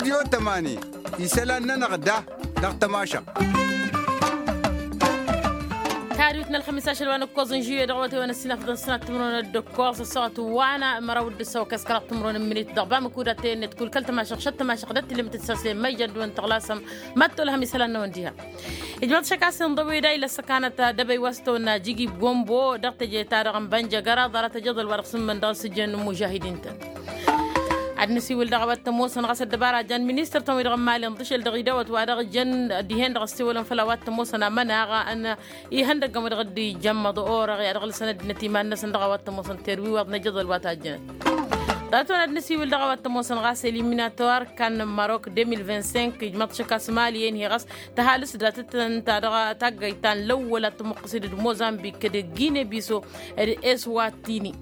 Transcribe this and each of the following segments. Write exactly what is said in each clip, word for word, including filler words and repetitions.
Tămani isălan-nănăɣ da dăɣ-tămašăɣt. Tadwit n-ălxămis ašăl wa n-ǝkkoẓ n-žuye dăɣ-awătay wa n-ăssinafăḍăn s-sănat timǝrwen d-ǝkkoẓ ăssaɣăt wa n-măraw d-ǝssaw kăskăraɣ timǝrwen n-minit dăɣ-bamǝkuda tăyănnet kull kăl-tămašăɣt šăt tămašăɣt d-ăttilǝmǝt d-săslen măjjăd wa n-tăɣlasăm. Măttol hămis isălan-năwăn diha. Ijmăḍ šăkasăn ḍăwida ila ăssăkanăt d-ebăy wa s-tăwănna jigi gombo dăɣ-teje-ta-dăɣ n-bănjăgăra ḍarăt ajăḍăl wa dăɣ-sǝmmǝn dăɣ-sǝjjăn n-imužahidin-tăn. Ad-nǝsiwǝl dăɣ-a-wa t-ămoosăn ɣas ăddăbara jan ministăr-tăn-wi-dăɣ n-imali ǝnḍǝšel dăɣ-idawăt wa dăɣ-jăn dihen-dăɣ ăssewălăn făll-a-wa t-ămoosăn amănaɣ n-ihăndăggăn wa dăɣ-dd-ijămmăḍ orăɣ i-ad-ɣǝlsăn ăddinăt iman-năsăn dăɣ-a-wa t-ămoosăn terwiwaḍ n-ajăḍăl wa tajjănăt. Ḍarăt-wen ad-nǝsiwǝl dăɣ-a-wa t-ămoosăn ɣas eliminator kan n-marok deux mille vingt-cinq ijmăḍ šăkasăn imali-en-hi ɣas tăhalǝs datăt ǝnta dăɣ-taggayt ta n-lăwwăl ad-tămuqqǝsǝd d-mozambik d-gine biso d-eswatini.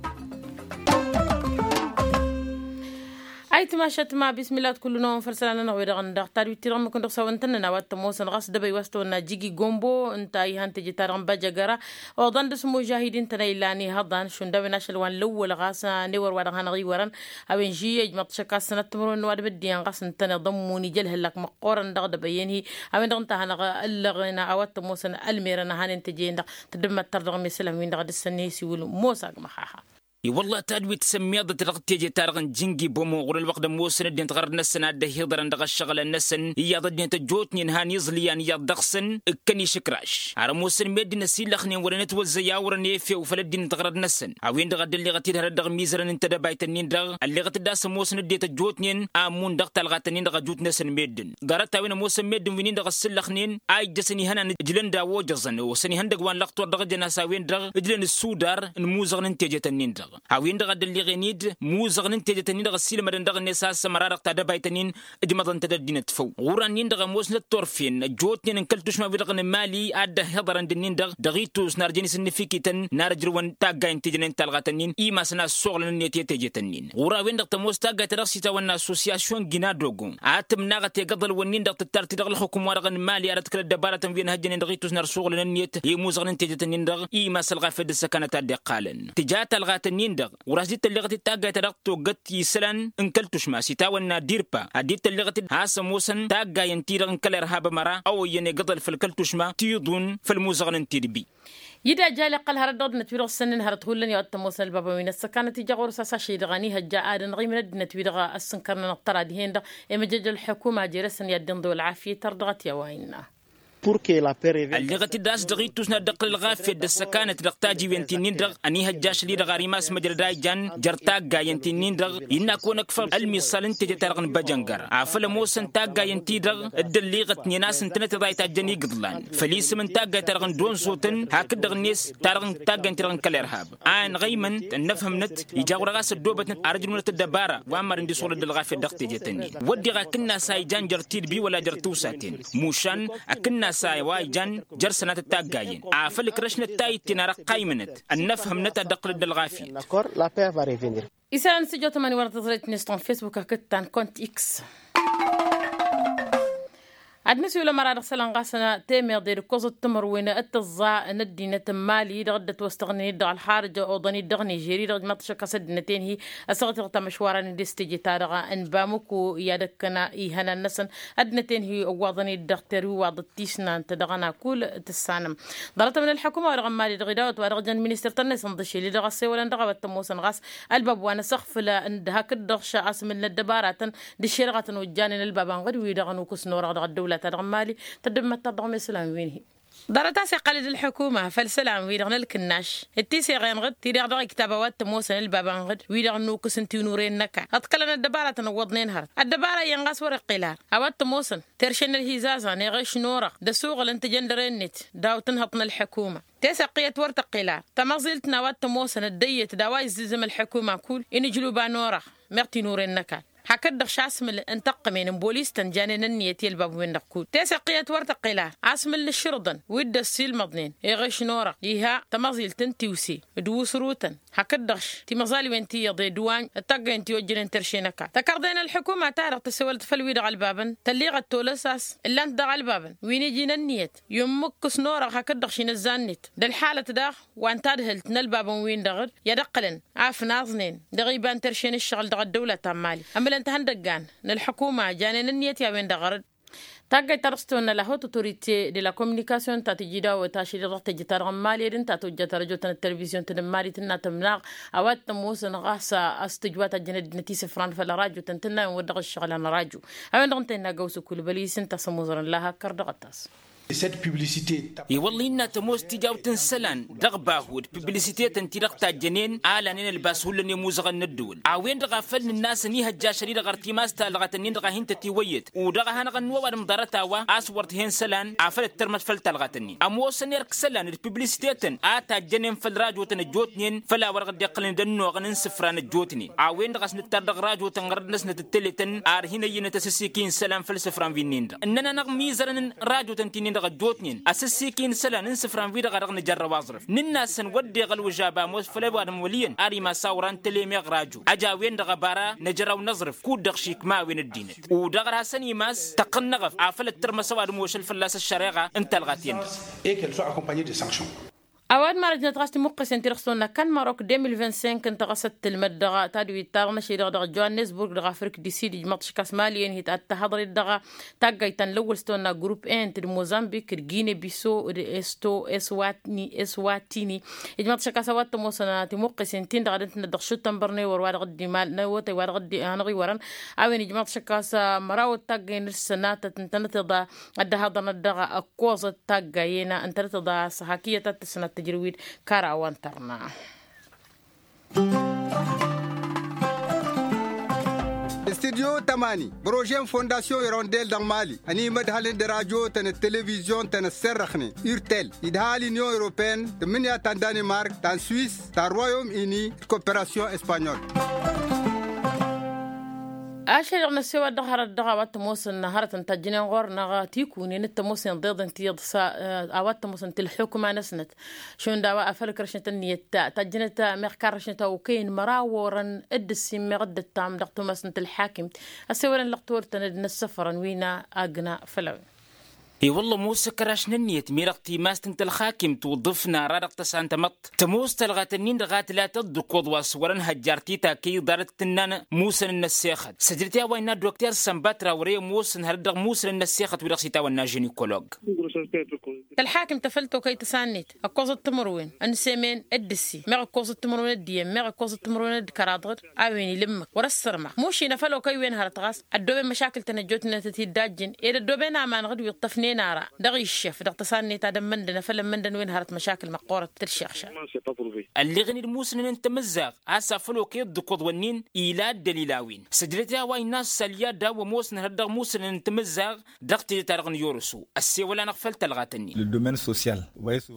Ayǝtma šătma bismillah d-kull-năwăn făll-isălan-nănăɣ wi-dăɣ ǝndăɣ tadwit-ti-dăɣ ǝmmǝk n-dăɣ-s a-wa ǝntănnăn a-wa t-ămoosăn ɣas d-ebăy wa s-tăwănna jigi gombo ǝnta a ihăn teje-ta-dăɣ n-bajăgăra oḍăn dăɣ-s imužahidin-tăn a ilan ihăḍan šund a-wen ašăl wa n-lăwwăl ɣas n-ewăr wa dăɣ-hanăɣ-iwărăn a-wen žiyya ijmăḍ-t šăkka s-sănat timǝrwen n-ăwadǝm ăddinăn ɣas ǝntăneḍ ămmun ija ălhăllak măqqoorăn dăɣ-dăbăyăn-hi. A-wen-dăɣ ǝnta a hanăɣ-ăllăɣen a-wa t-ămoosăn ălmerăn a hanen teje-en-dăɣ. Tăddǝmmăttăr dăɣ-mesălăm-win-dăɣ ad-ǝssăn n-esiwǝl mosa agmăxaxa. I-wălla tadwit sămmeḍăt dăɣ-teje-ta-dăɣ n-jǝngi bomo ɣur-ălwăqq d-ămoosăn ăddinăt ɣărăt-năsăn a dd-ăhiḍărăn dăɣ-ăššăɣǝlăn-năsăn iyyăḍ ăddinăt ăjjootnen han iẓlǝyan iyyăḍ dăɣ-săn. Ǝkkăn išǝkraš ar ămoosăn meddǝn ăsilăxnen wăren ătwăzzăy a wărăn efew făll-ăddinăt ɣărăt-năsăn. A-wen-dăɣ a dd-ălleɣăt-dd hărăt dăɣ-imizărăn n-tedăbayt-nin-dăɣ ălleɣăt-dd a-s ămoosăn ăddinăt ăjjootnen a ǝmmun dăɣ-talɣat-nin-dăɣ ăjut-năsăn meddǝn. Ḍarăt-a-wen ămoosăn meddǝn wi-nin-dăɣ ăssǝllăxnen a ijjăsăn ihănan ǝjlăn d-a-wa ojăẓăn osăn ihăndăgg wa n-lăqtor dăɣ-ejăn a-s a-wen-dăɣ ǝjlăn ǝssudar n-imuzăɣăn n-tejet-nin-dăɣ. A-wen-dăɣ a dd-ălleɣen-dd imuzăɣăn n-tejet-nin-dăɣ ăssiilmădăn dăɣ-net a-s ămăra dăɣ-tadăbayt-nin ǝjmăḍăn-tăt ăddinăt făw ɣur-an-nin-dăɣ ămoosnăt turfen ăjjootnen n-kăl-tušma-wi-dăɣ n-imali a dd-ăhhiḍărăn d-ǝnnin-dăɣ dăɣ-itus n-arjăn isǝnnǝfikităn n-ar ǝjrǝwăn taggayen teje-nen talɣatăn-in imasăn a ăssoɣlăn-net i-tejet-nin ɣur-a-wen-dăɣ tămoos taggayt ta dăɣ-s itawănna assosyasyon ginadogo a tǝmnaɣăt egăḍăl-wǝnnin-dăɣ tǝttar-t-i dăɣ-ǝlxǝkǝm-wa-dăɣ n-imali ar ăḍkăl ăddăbarătăn wi ănhăjjănen dăɣ-itus n-ărssuɣǝlăn-net i-imuzăɣăn n-tejet-nin-dăɣ imas ălɣafyăt d-ǝssăkanăt a dd-iqqalăn tǝja talɣat-nin-dăɣ. Wăr-as dd-tălleɣăt d-taggayt ta dăɣ-toggăt isălan n-kăl-tušma s-itawănna dirpa ad-dd-tălleɣăt d-has-ămoosăn taggayen-ti-dăɣ n-kăl-irhab ămăra a oyyăn egăḍăl făll-kăl-tušma tiḍun făll-imuzăɣăn n-tidbi. Ida jal iqqăl hărăt dăɣ-dd-năt wi-dăɣ s-sănnen hărăt hullan i-a-wa t-ămoosăn ălbabăn wi n-ăssăkanăt ija ɣur-s a-s ašăl-i-dăɣ ănihăjja ad-ănɣimǝn ăddinăt-wi-dăɣ ăssǝnkărnănăɣ tăra dihen-dăɣ. Emăjăjăl ălḥukuma jer-esăn i-ad-dd-inḍǝw ălɣafyăt ar dăɣ-t i-a-wa innă. Ălleɣăt-dd a-s dăɣ-itus n-ad-dd-ăqqǝl ălɣafyăt d-ăssăkanăt dăɣ-tajiwen ti-nin-dăɣ ănihăjja ašăl-i-dăɣ ar imas măjrăd a ijan jer-taggayen ti-nin-dăɣ. Innă a kăwăn-ăkfăr ălmiṣal n-teje-ta-dăɣ n-băjăngăr afăl ămoosăn taggayen-ti-dăɣ dd-ălleɣătnen a-s ǝntănăt iḍa itajjăn igǝḍlan făll-isǝm n-taggayt-ta-dăɣ n-donzotăn hakd-dăɣ-net ta-dăɣ n-taggayt-ta-dăɣ n-kăl-irhab. A ănɣăymăn ănnăfhămnăt ija ɣur-e ɣas ăddoobătnăt ar ǝjrǝwnăt ăddăbara wa n-marăn d-isɣulăd ălɣafyăt dăɣ-tejet-nin wădden akǝnnas a ijan jer-tidbi wăla jer-tiwsaten mušan akǝnnas a wa ijan jer-sănatăt taggayen afăl ǝkrăšnăt tayǝtten ar ăqqaymănăt ănnăfhămnăt ad-dd-ăqqǝlăd ălɣafyăt. Isălan s-ǝjot ămani wăr-tăẓrăyt n-istan facebook hakd ta n-kont x. Ad-nǝsiwǝl ămăra dăɣ-isălan ɣas temeḍe d-ǝkkoẓăt timǝrwen d-tǝẓẓa n-ăddinăt n-mali dăɣ-dd-ătwăstăɣnen-dd dăɣ-ălxarǝj oḍăn-dd dăɣ-nižeri dăɣ-ijmaḍ-t šăkk a-s ăddinăt-en-hi ăssaɣăt i-dăɣ tamăšwara n-dd-s teje-ta-dăɣ n-bamuku i-ad-ăkkăna ihănan-năsăn. Ăddinăt-en-hi ăwwaḍăn-dd dăɣ-terwiwaḍăt tisnant dăɣ-ănakul tǝssanăm. Ḍarăt-ămǝn ălḥukuma-wa-dăɣ n-mali dăɣ-idawăt-wa-dăɣ jăn ministăr-tăn-net n-iḍǝšel-i-dăɣ ăssewălăn dăɣ-a-wa t-ămoosăn ɣas ălbab wa n-asăɣfǝl d-hakd-dăɣ š-asmǝl n-ăddăbaratăn d-ǝššerɣătăn ojjanen ălbab anɣǝd-wi-dăɣ ănukǝs n-orăɣ dăɣ-ăddăwla-ta-dăɣ n-mali. Tăddǝmmăt-ta-dăɣ mesălan-win-hi ḍarăt a-s iqqăl-dd ălḥukuma făll-isălan-wi-dăɣ n-ălkǝnnaš d-tiseɣen ɣǝd ti-dăɣ dăɣ-iktaba wa t-ămoosăn ălbab anɣǝd wi-dăɣ ănnukǝsăn tinuren n-ăkall ǝḍkălăn ăddăbaratăn ǝwwăḍnen hărăt ăddăbara iyyăn ɣas wăr-iqqǝl ar a-wa t-ămoosăn terše n-ălhizazăn eɣeš n-orăɣ d-ăsuɣǝl n-tejăndăre-net daw-tǝnhăḍt n-ălḥukuma. Tesăqqǝyăt wăr tăqqǝl ar tămăẓilt n-a-wa t-ămoosăn ăddăyyăt d-a-wa izzǝzăm ălḥukuma kull-i n-ǝjluba n-orăɣ meɣ tinuren n-ăkall hakd-dăɣ šasmǝl n-tăqqǝmen n-bolis-tăn janen ǝnniyăt i-ălbab-wen-dăɣ kull tesăqqǝyăt wăr tăqqǝl ar asmǝl n-ašǝrǝḍăn wi dd-ăssiilmăḍnen eɣeš n-orăɣ iha tămăẓilt n-tiwse d-wusrutăn hakd-dăɣ š-timăẓalwen ti iyyăḍ edwanj d-taggăyăn ti ojjănen terše n-ăkall tăkărḍe n-ălḥukuma-ta-dăɣ tăsewălăt făll-wi-dăɣ ălbabăn tălliɣăt tolăs a-s ǝllan-t dăɣ-ălbabăn wi n-iji n-ǝnniyăt i-ǝmmǝkkǝs n-orăɣ hakd-dăɣ š-inǝzza-net d-ălḥalăt daɣ wa n-tadhǝlt n-ălbabăn-win-dăɣ d-i-ad-ǝqqǝlăn afnaẓnen dăɣ-iba n-terše n-ǝššăɣǝl dăɣ-ăddăwla ta n-mali. Tăn-tăhăndăggan n-ălḥukuma janen ǝnniyăt i-a-wen-dăɣ ɣărăd. Taggayt ta dăɣ-s tăwănna la haute autorité de la communication ta tǝjjǝd a-wa tašăl i-dăɣ tejjǝt-ta-dăɣ n-imali d-ǝnta a tojjat arăjo-tăn d-telvizyun-tăn n-imali tǝnna tǝmnaɣ a-wa t-ămoosăn ɣas a-s tǝjwa tajjăn ăddinăt isǝfran făll-arăjo-tăn tǝnna a-wen wăr dăɣ-ǝššăɣǝl anărăjo. A-wen-dăɣ ǝnta innă găwsǝkul băliyis ǝnta a-s ămoẓărăn la hakkăr dăɣ-ătas. I-wălla innă tămoos tijawt n-isălan dăɣ-bahu d-piblisite-tăn-ti-dăɣ tajjănen a lanen ălbas hullan i-imuzăɣăn n-ăddǝwǝl a-wen-dăɣ a făl nǝnn'-asăn ihăjja ašăl-i-dăɣ ɣăr timas talɣat-nin-dăɣ a hin-tătiwăyyăt. U-dăɣ a hanăɣ-ănnuwa ăwadǝm ḍarăt a-wa a-s wăr t-hen isălan afăl ǝttărmăt făll-talɣat-nin ămoosăn erk isălan d-piblisite-tăn a tajjănen făll-rajotăn ăjjootnen făll-a-wa dăɣ-dd-iqqălăn d-ănnuɣăn n-isǝfran ăjjootnen. A-wen-dăɣ a-s nǝttar dăɣ-rajotăn ɣărăt-năsnăt d-tele-tăn ar hin-ăyyǝnăt asǝssiky n-isălan făll-isǝfran wi-nin-dăɣ ǝnnăn-anăɣ imizărăn n-rajotăn ti-nin-dăɣ ăjjootnen asǝssiky n-isălan n-isǝfran wi-dăɣ a dăɣ-nǝjărrăw aẓrǝf. Nǝnn'-asăn wădden ălwǝžab a ămoos făll-ăwadǝm wăl' iyyăn ar imas awran tele meɣ rajo ăj a-wen-dăɣ ăbara năjrăw n-aẓrǝf kud-dăɣ šikma a-wen ăddinăt. U-dăɣ ărhasăn imas tăqqăn n-eɣăf afăl ăttărmăs ăwadǝm ošăl fălla-s ăššăreɣa n-talɣat-en-dăɣ. A-wa d-marăjnăt ɣas timuqqesen ti-dăɣ s-tăwănna kan marok deux mille vingt-cinq ǝnta ɣas ăttǝlmăd dăɣ-tadwit-ta-dăɣ n-ašăl-i-dăɣ dăɣ-joannesburg dăɣ-afrik du sid ijmăḍ šăkkas mali-en hi-ad-tăhăḍret dăɣ-taggayt ta n-lăwwăl s-tăwănna grupp ent d-mozambik d-gine biso d-esto eswatini eswatini. Ijmăḍ šăkkas a-wa t-ămoosăn timuqqesen-tin-dăɣ ad-ǝntǝnăt dăɣ-šuttănbăr n-ewăr wa dăɣ-dd-imal n-awătay wa dăɣ-dd-anăɣ-iwărăn. A-wen ijmăḍ šăkkas măraw d-taggay n-ǝssănatăt ǝntănăteḍ ad-dd-ăhaḍărnăt dăɣ-ăkkoẓăt taggayen ǝntănăteḍ a-s hakiyăt ad-tǝssǝnat tǝjrǝwid kăraw wa n-tărna. Studyo tămani bărožen fondasyon irondel dăɣ-mali ănimădhălăn d-rajotăn d-televizyon-tăn ăsserrăxnen urtel idhal inyon europeen tǝmmǝnǝya ta n-danimark ta n-swis ta n-royom ini d-koperasyon espanyol. Ašăl-i-dăɣ n-ăssewăl dăɣ-hărăt dăɣ-a-wa t-ămoosăn hărătăn tajjǝnen ɣur-năɣ tikunen d-tămoosăn ḍeḍen ti iḍsa a-wa t-ămoosăn tǝlḥukma-năsnăt. Šund a-wa afăl ǝkrăšnăt ǝnniyăt tajjǝnăt meɣ karrăšnăt a okăyăn măraw orăn d-ǝssin meɣ dd-ǝttam dăɣ-tumas n-tǝlḥakimt. Ăssewălăn lăqtor-tăn d-inǝssăfărăn wi n-agna făll-a-wen. I-wălla ămoos ăkraš n-ǝnniyăt mi-dăɣ timast n-tălxakimt uḍǝf n-ara dăɣ-tăsa n-tamăḍt tămoos talɣat-nin-dăɣ a tǝla tăḍḍǝkuḍ wa s-wărăn hăjjar ti takăy ḍarăt tǝnnan musăn n-ăssexăt săjdăt i-a-wa innă dokter sănbatra wăr-e ămoosăn hărăt dăɣ-musăn n-ăssexăt wi-dăɣ s-itawănna ženikolog. Tălxakimt tăfăl tokăy tăsa-net ăkkoẓăt timǝrwen n-semen d-ǝssi meɣ ǝkkoẓăt timǝrwen d-iyyăn meɣ ǝkkoẓăt timǝrwen d-kăraḍăd. A-wen ila ǝmmǝk wăr-ăssărma mušin afăl okăy-wen hărăt ɣas ăddooben măšakǝl-tăn ăjjootnen a tăt-dd-ajjǝn ed ăddooben aman ɣǝd wi ǝṭṭăfnen ara dăɣ-iššăf dăɣ-tăsa-net ad-ămmăndăn afăl ămmăndăn-wen hărăt măšakǝl măqqoorăt tǝlšeɣšal. Ălleɣen-dd musǝnăn n-tamǝzzaɣt a-s afăl okăy ăḍḍǝkuḍ-wǝnnin ila ăddălil a-wen săjdăt i-a-wa innă ăssalya daw-ămoosăn hărăt dăɣ-musǝnăn n-tamǝzzaɣt dăɣ-teje-ta-dăɣ n-yoroso. Ăssewăl-anăɣ făll-talɣat-ǝnnin.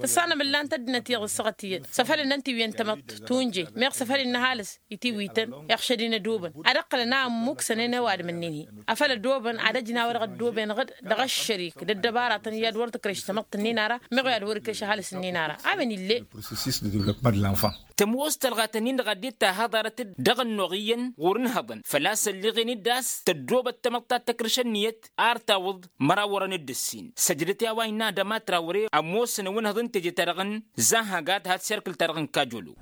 Tăssanăm ǝllan-t ăddinăt iyyăḍ ǝssaɣăt iyyăt s-afăl ǝnnăn tiwǝyăn tamăḍt tunje meɣ s-afăl innă ăhalǝs itiwǝytăn iɣšăd-in ădobăn ad-ǝqqǝlăn a ămmuksănen ăwadǝm-ǝnnin-hi afăl ădobăn ad-ăjnaw dăɣ-ăddooben ɣǝd dăɣ-ăššărik d-ăddăbaratăn i-ad-wăr tǝkreš tamăḍt-ǝnnin ara meɣ i-ad-wăr-ikreš ăhalǝs-ǝnnin ara. A-wen ill'-e. Tămoos talɣat-ǝnnin-dăɣ a dd-tahăḍarăt-dd dăɣ-ănnuɣ iyyăn ɣur-inhăḍăn făl-a-s ălleɣen-dd a-s tăddoobăt tamăḍt ta t-tăkrǝš ǝnniyăt ar tawǝḍ măraw orăn d-ǝssin săjdăt i-a-wa innă adăma trawre ămoosăn ăwǝnhăḍ n-teje-ta-dăɣ n-zahăgat hat serkǝl-ta-dăɣ n-kajolo.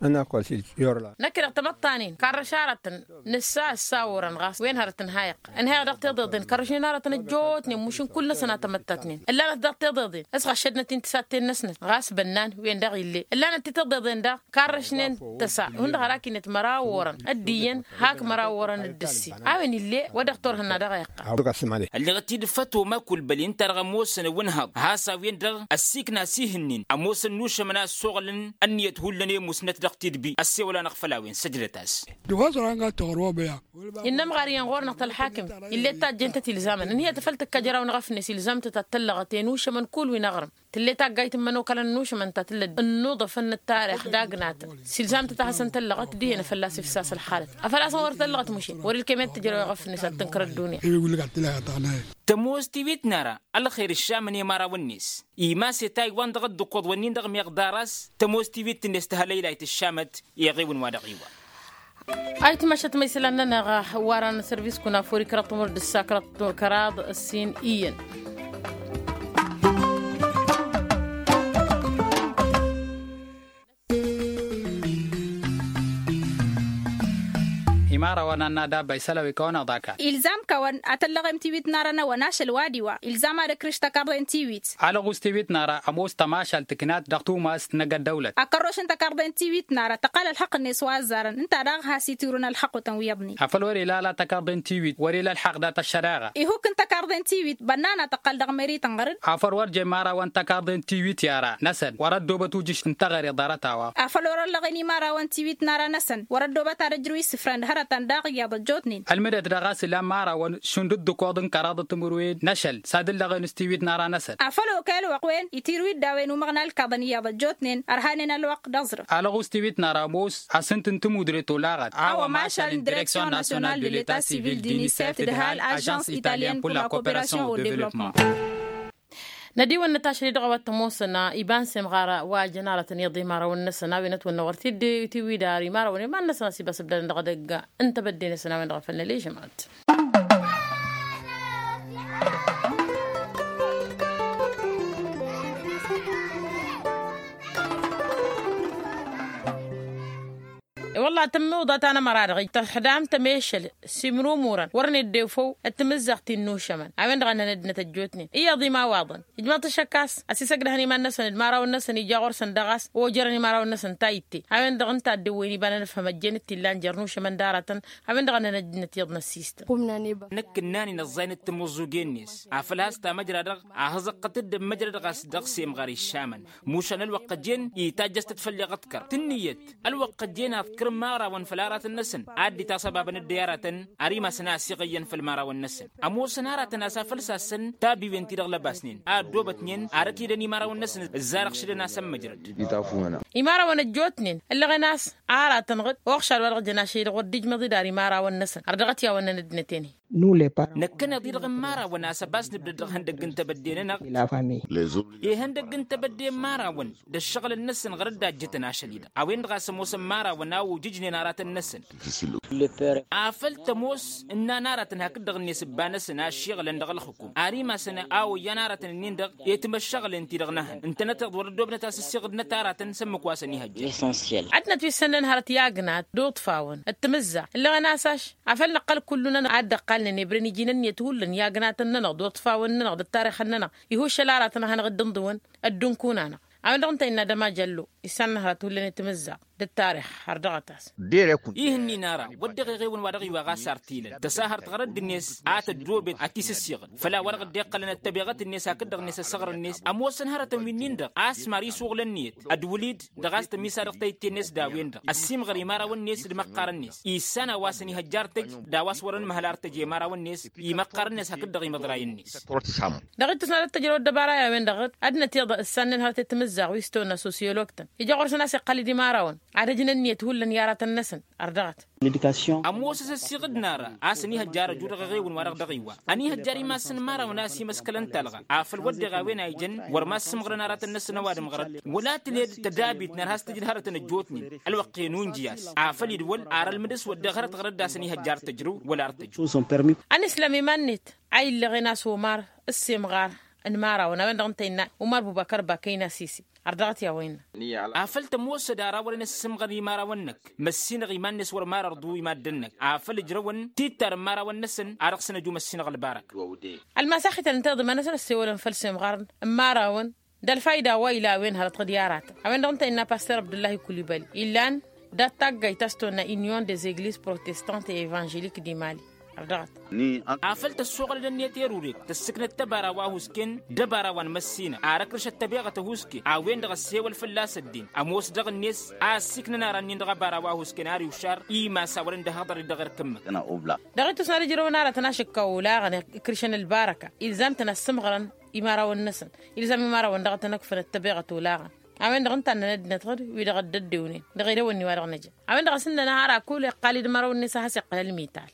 Năkk-i-dăɣ tamăḍt ta-nin karrăš aratăn nǝssa ǝssa orăn ɣas wen hărăt ǝnhayăɣ ǝnhayăɣ dăɣ-tiḍeḍen kărrăšnen aratăn ăjjootnen mušǝn kull-năsăn a tamăttatnen ǝllanăt dăɣ-tiḍeḍen s-ɣăššădnăt-in tisatten-năsnăt ɣas bănnan wen-dăɣ ill'-e ǝllanăt ti tiḍeḍen daɣ karrăšnen tăsa hundăɣ har akinăt măraw orăn d-iyyăn hak măraw orăn d-ǝssin. A-wen ill'-e wa dăɣ-torhǝnna dăɣ-a iqqăl. Ălleɣăt-dd făt oma kulbăli ǝnta-dăɣ ămoosăn ăwǝnhăḍ has-a-wen-dăɣ ăssiikna s-ihǝnnin ămoosăn n-ušămăn a ăssoɣălăn ǝnniyăt hullan i-musnăt dăɣ-tidbi ăssewăl-anăɣ făll-a-wen săjdăt-as. Innă ămɣar iyyăn ɣur-năɣ tălḥakǝmt ill'-e tajjent-t ilzamăn ǝnhǝyăt făl tǝkkăjraw n-eɣăfnes ilzam-tăt ad-tăllăɣăt i-inušămăn kull wi n-aɣrǝm. Tǝll'-e taggayt n-imănokalăn n-ušǝmăn ta tǝllăd ănnuḍăfăn n-ăttarix d-agnatăn s-ilzam-tăt a hasăn-tăllăɣăt dihen a fălla-s ifsas ălxalăt. Afăl-asăn wăr tăllăɣăt mušin wăr-ilkem i-ad-t tǝjrăw eɣăf-net ad-tǝnkăr ăddunya. Tămoos tiwit n-ara ălxer ǝššamăn i-imărawăn-net imas i-taywan dăɣ-dd-ǝkkoḍ-wǝnnin-dăɣ meɣ ḍar-as. Tămoos tiwit-net tăhălăylayt ǝššamăt iɣiwǝn wa dăɣ-iwa. Ayǝtmašăt ma isălan-nănăɣ. Warăn sărvis kunafuri kăraḍ timǝrwet d-ǝssa kăraḍ ǝssin iyyăn. Imărawăn ad-nadabba isălăw ikăwăn aḍa kall. Ilzam kăwăn ad-tăllăɣem tiwit n-ara n-ewăn ašăl wa d-iwa ilzam ad-ǝkrǝš tăkarḍe n-tiwit. Alăɣus tiwit n-ara ămoos tămašal tǝknat dăɣ-tumast n-egg ăddăwlăt. Akăroš n-tăkarḍe n-tiwit n-ara tăqqal ălxăqq-net wa ăzzarăn ǝnta daɣ has-itirǝwăn ălxăqq otăn wi iyyăḍnen. Afăl wăr-ila ala tăkarḍe n-tiwit wăr-ila ălxaqq dat-ăššăreɣa. Ihukk n-tăkarḍe n-tiwit bănnan ad-tăqqăl dăɣ-meri tănɣăr-dd. Afăl wăr jen imărawăn tăkarḍe n-tiwit i-ara-năsăn wăr-ăddoobăt ujǝš n-teɣăre ḍarăt-a-wa. Afăl wăr-ăllăɣen imărawăn n-tiwit n-ara-năsăn wăr-ăddoobăt ad-ăjrǝw isǝfrăn d-hărătăn daɣ iyyăḍ ăjjootnen. Ălmǝdăt dăɣ-a-s ila n-imărawăn šund d-ǝkkoḍ n-kăraḍăt timǝrwen n-ašăl s-ad-ǝllăɣen s-tiwit n-ara-năsăn. Afăl okăy ălwăqq-wen itirǝw-dd a-wen umăɣna ǝlkaḍăn iyyăḍ ăjjootnen ărhanen ălwăqq d-aẓrǝf. Alăɣus tiwit n-ara ămoos asǝnt n-tămudre tolaɣăt a-wa mašal n-direksyon nasyonal de leta sivil d-inisef d-hal ažans italyen pur la koperasyon o devlopman. Nădiwăn n-tašăl-i dăɣ-a-wa t-ămoosăn iba n-semɣar wa jăn aratăn iyyăḍ imărawăn-năsăn a-wen ătwănnăɣ wăr t-dd-tiwidar imărawăn iman-năsăn a-s ibas ǝbdadăn dăɣ-edăgg n-tebădde-năsăn a-wen-dăɣ a făl nălejăm ad-t. I-wălla tǝmmǝḍa ta n-ămăra-dăɣ tăxdam tămešăl s-imrumurăn wăr nedde făw d-timǝzzaɣt-in n-ušămăn a-wen-dăɣ a nănăddinăt ăjjootnen iyyăḍ imawaḍăn. Ijmăḍ-t ăššăk a-s ăsisăgdăhăn iman-năsăn d-imărawăn-năsăn ija ɣur-săn dăɣ-a-s ojărăn imărawăn-năsăn ta itte a-wen-dăɣ ǝnta a dd-ǝwwăyăn iba n-anǝfhăm ăjjeen d-t-illan jer-inušămăn d-aratăn. A-wen-dăɣ a nănăjnăt iyyăḍ n-ăssistăn. Năkk ǝnnan inăẓẓayăn d-timǝẓẓuge-net afăl has-tamăjra-dăɣ a hăẓăqqăt-dd ămmăjrăd ɣas dăɣ-semɣar iššamăn. Mušan ălwăqq ăjjeen itajjăs-tăt făll-iɣǝḍkăr tǝnnǝyăt ălwăqq ăjjeen aḍkăr imărawăn făll-aratăn-năsăn. Ad-dd-itasăbabăn dd-i aratăn ar imasăn a ăsiɣăyyăn făll-imărawăn-năsăn. Ămoosăn aratăn a-s afăl sassăn tabiwen-ti-dăɣ lăbasnen a ăddoobătnen ar ăkidăn imărawăn-năsăn ǝzzar ăɣšǝdăn a-s ămmăjrăd. Imărawăn ăjjootnen ǝllăɣen a-s aratăn-dăɣ oɣšad wa dăɣ-jăn ašăl-i-dăɣ wăr dd-ijmăḍ-dd ar imărawăn-năsăn har dăɣ-t i-a-wăn nănăddinăt-en-i. Năkkăneḍ-i-dăɣ n-imărawăn a-s ăbas nǝbdăd dăɣ-ihăndăgg n-tebădde-nănăɣ. Ihăndăgg n-tebădde n-imărawăn d-ăššăɣǝlăn-năsăn ɣur-dd a ǝjjǝtăn ašăl-i-dăɣ a-wen-dăɣ a-s ămoosăn imărawăn a ojǝjnen aratăn-năsăn. Afăl tămoos ǝnnan aratăn hakd-dăɣ-net ǝbba-năsăn a ǝššiɣǝlăn dăɣ-ălxǝkum ar imasăn a oyyan aratăn-ǝnnin-dăɣ i-timăššăɣǝlen-ti-dăɣ n-ehăn ǝntănăteḍ wăr-ăddoobnăt a-s ǝssiɣǝdnăt aratăn s-ǝmmǝk wa săn ihăjja. Ad-nătwissănnăn hărăt i-agnat d-uḍfawăn d-timǝzzaɣt ǝllăɣăn a-s ašš afăl năqqăl kullu-nănăɣ ad-dd-ăqqalnen ebre n-iji n-ǝnniyăt hullan i-agnatăn-nănăɣ d-uḍfawăn-nănăɣ d-ăttarixăn-nănăɣ. Ihǝššăl aratăn a hanăɣ-dd-ǝnḍǝwăn ăddunkun-anăɣ a-wen-dăɣ ǝnta innă dămajallu issan n-hărăt hullan i-timǝzzaɣt d-ăttarix har dăɣ-ătas. Ihǝnnin ara wădden iɣewăn wa dăɣ-iwa ɣas ar t-ilăn tăsahărt ɣărădd-net a tăddoobet ad-t-isǝssiɣǝd făll-a-wa dăɣ-dd-iqqălăn ăttăbeɣăt-net hakd-dăɣ-net ăssăɣrăn-net. Ămoosăn hărătăn wi-nin-dăɣ a-s mari isuɣǝl ǝnniyăt d-wǝlid dăɣ-a-s tămisadăɣ tayǝtte-net d-a-wen-dăɣ ăssiimɣăr imărawăn-net d-imăqqarăn-net issan a-wa s-ănihăjja ar tăj d-a-wa s-wăr-ănmăhăl ar tăj i-imărawăn-net. Imăqqarăn-net hakd-dăɣ imăḍrayăn-net. Dăɣ-ittus n-ad-ăttăjrăw ăddăbara i-a-wen-dăɣ ad-nătiḍa ǝssannen hărăt i-timǝzzaɣ wi s-tăwănna sosiyolog-tăn ija ɣur-săn a-s iqqăl-dd imărawăn ad-ăjnăn ǝnniyăt hullan i-aratăn-năsăn. Ărdăɣăt. Ămoos a-s ăssiɣǝdna ara a-s ănihăjja arăju dăɣ-eɣewăn wa-dăɣ dăɣ-iwa ănihăjja ar imassăn imărawăn a-s imăskălăn talɣa afăl wădden a-wen a ijăn wăr massǝmɣărăn aratăn-năsăn ăwadǝm ɣărăt wăla tǝled tădabit n-ad-has-tǝjǝd hărătăn ăjjootnen. Ălwăqq-en unjǝy-as afăl idwăl ar ălmǝdǝs wădden hărăt ɣărăt d-a-s ănihăjja ar tăjrǝw wăla ar tăjrǝw. Ănǝslăm iman-net a illăɣen a-s omar ǝssimɣar n-imărawăn a-wen-dăɣ ǝnta innă umar bubăkăr bakăyna sisi. Ărdăɣăt i-a-wa innă. Afăl tămoosăd ara wărăn ăssǝmɣăr imărawăn-năk măssinăɣ iman-net wăr marărḍu i-maddǝn-năk afăl ǝjrăwăn tittar n-imărawăn-năsăn a dăɣ-săn ăju măssinăɣ ălbarăk. Ălmasaxităn ǝnta iḍǝm-anăsăn ăssewălăn făll-semɣarăn n-imărawăn d-ălfayda wa ila a-wen hărăt ɣǝd i-aratăn a-wen-dăɣ ǝnta innă paster abdullahi kulibali illan dat-taggayt ta s-tonna union des eglises protestantes et evangeliques du mali. Ărdăɣăt. Afăl tăssoɣălăd ǝnniyăt i-erurek tăssǝknăt tăbara wa husken d-ăbara wa n-măssinăɣ ar ăkrǝšăt tăbeɣăt ăhuske a-wen-dăɣ ăssewăl fălla-s ăddin ămoos dăɣ-net a ăssiiknăn ara-nin dăɣ-ăbara wa husken ar iwšar imas a wărăn dd-ăhhăḍăr-dd dăɣ-erk ǝmmǝk. Dăɣ-ittus n-ad-ǝjrăwăn aratăn ašǝkka olaɣăn ikrǝšăn ălbarăka ilzam-tăn ad-sǝmɣărăn imărawăn-năsăn. Ilzam imărawăn dăɣ-tăn-ăkfăn d-tăbeɣăt olaɣăn a-wen-dăɣ ǝnta ad-nănăddinăt ɣǝd wi-dăɣ dd-ăddewnen dăɣ-edăwănni wa dăɣ-năjăn. A-wen-dăɣ a-s ǝnnăn ara kul iqqal-dd imărawăn-net a has-iqqăl ălmital.